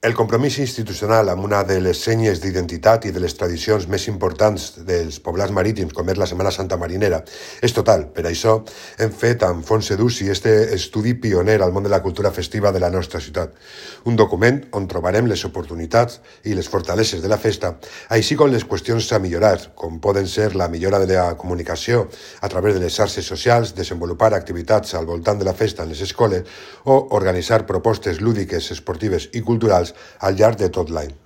El compromís institucional amb una de les senyes d'identitat i de les tradicions més importants dels poblats marítims, com és la Setmana Santa Marinera, és total. Per això hem fet amb Fons Educi este estudi pioner al món de la cultura festiva de la nostra ciutat. Un document on trobarem les oportunitats i les fortaleses de la festa, així com les qüestions a millorar, com poden ser la millora de la comunicació a través de les xarxes socials, desenvolupar activitats al voltant de la festa en les escoles o organitzar propostes lúdiques, esportives i culturals al llarg de tot l'any.